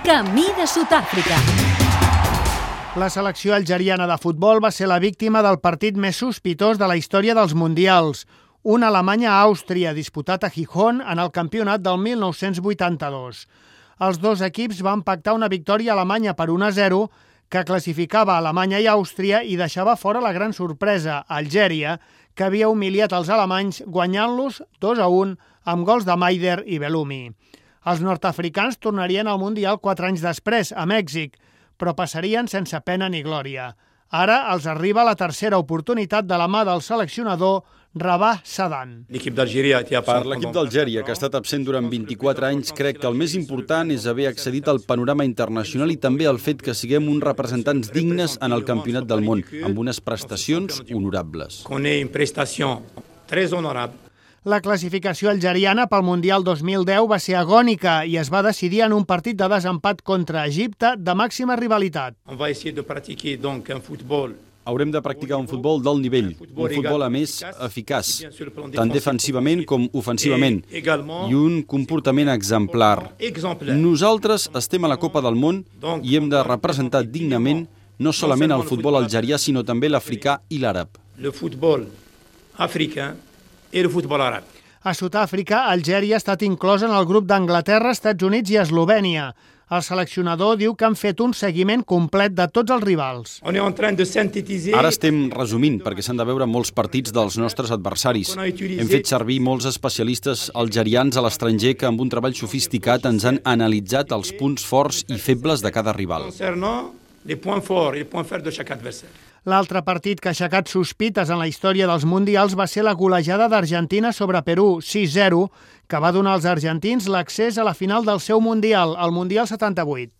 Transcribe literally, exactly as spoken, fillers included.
Camí de Sud-àfrica. La selecció algeriana de futbol va ser la víctima del partit més sospitós de la història dels mundials, un Alemanya-Àustria disputat a Gijón en el campionat del mil nou-cents vuitanta-dos. Els dos equips van pactar una victòria alemanya per un a zero que classificava Alemanya i Àustria i deixava fora la gran sorpresa, Algèria, que havia humiliat els alemanys guanyant-los dos a un amb gols de Maider i Bellumi. Els nord-africans tornarien al Mundial quatre anys després, a Mèxic, però passarien sense pena ni glòria. Ara els arriba la tercera oportunitat de la mà del seleccionador Rabah Sadan. Per l'equip d'Algèria, que ha estat absent durant vint-i-quatre anys, crec que el més important és haver accedit al panorama internacional i també el fet que siguem uns representants dignes en el campionat del món, amb unes prestacions honorables. La classificació algeriana pel Mundial dos mil deu va ser agònica i es va decidir en un partit de desempat contra Egipte de màxima rivalitat. Haurem de practicar un futbol d'alt nivell, un futbol, a més, eficaç, tant defensivament com ofensivament, i un comportament exemplar. Nosaltres estem a la Copa del Món i hem de representar dignament no solament el futbol algerià, sinó també l'africà i l'àrab. El futbol africà i el futbol àrab. A Sud-àfrica, Algèria ha estat inclosa en el grup d'Anglaterra, Estats Units i Eslovènia. El seleccionador diu que han fet un seguiment complet de tots els rivals. Ara estem resumint, perquè s'han de veure molts partits dels nostres adversaris. Hem fet servir molts especialistes algerians a l'estranger que amb un treball sofisticat ens han analitzat els punts forts i febles de cada rival. L'altre partit que ha aixecat sospites en la història dels mundials va ser la golejada d'Argentina sobre Perú, sis zero, que va donar als argentins l'accés a la final del seu mundial, el Mundial setanta-vuit.